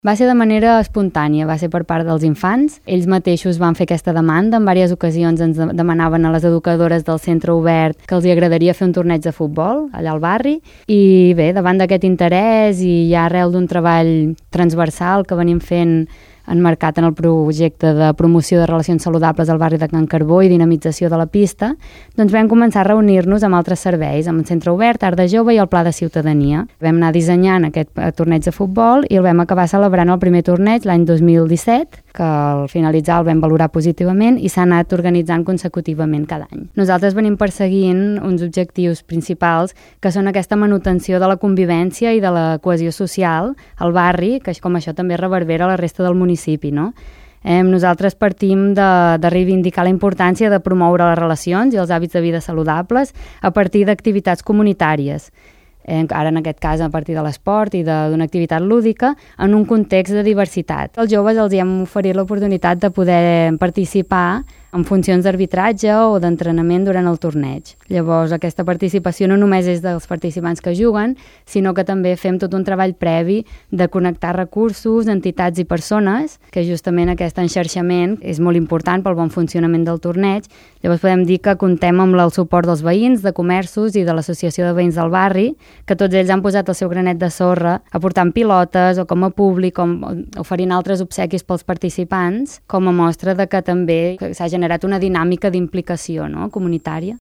Va ser de manera espontània, va ser per part dels infants. Ells mateixos van fer aquesta demanda. En diverses ocasions ens demanaven a les educadores del centre obert que els agradaria fer un torneig de futbol allà al barri. I bé, davant d'aquest interès i ja arrel d'un treball transversal que venim fent enmarcat en el projecte de promoció de relacions saludables al barri de Can Carbó i dinamització de la pista, doncs vam començar a reunir-nos amb altres serveis, amb el Centre Obert, Art de Jove i el Pla de Ciutadania. Vam anar dissenyant aquest torneig de futbol i el vam acabar celebrant el primer torneig l'any 2017, que al finalitzar el vam valorar positivament i s'ha anat organitzant consecutivament cada any. Nosaltres venim perseguint uns objectius principals que són aquesta manutenció de la convivència i de la cohesió social al barri, que com això també reverbera a la resta del municipi, no? Nosaltres partim de reivindicar la importància de promoure les relacions i els hàbits de vida saludables a partir d'activitats comunitàries. Ara en aquest cas a partir de l'esport i d'una activitat lúdica en un context de diversitat. Als joves els hem oferit l'oportunitat de poder participar en funcions d'arbitratge o d'entrenament durant el torneig. Llavors, aquesta participació no només és dels participants que juguen, sinó que també fem tot un treball previ de connectar recursos, entitats i persones, que justament aquest enxarxament és molt important pel bon funcionament del torneig. Llavors podem dir que contem amb el suport dels veïns, de comerços i de l'Associació de Veïns del Barri, que tots ells han posat el seu granet de sorra aportant pilotes o com a públic, com oferint altres obsequis pels participants, com a mostra de que també s'ha generat una dinàmica d'implicació, no?, comunitària.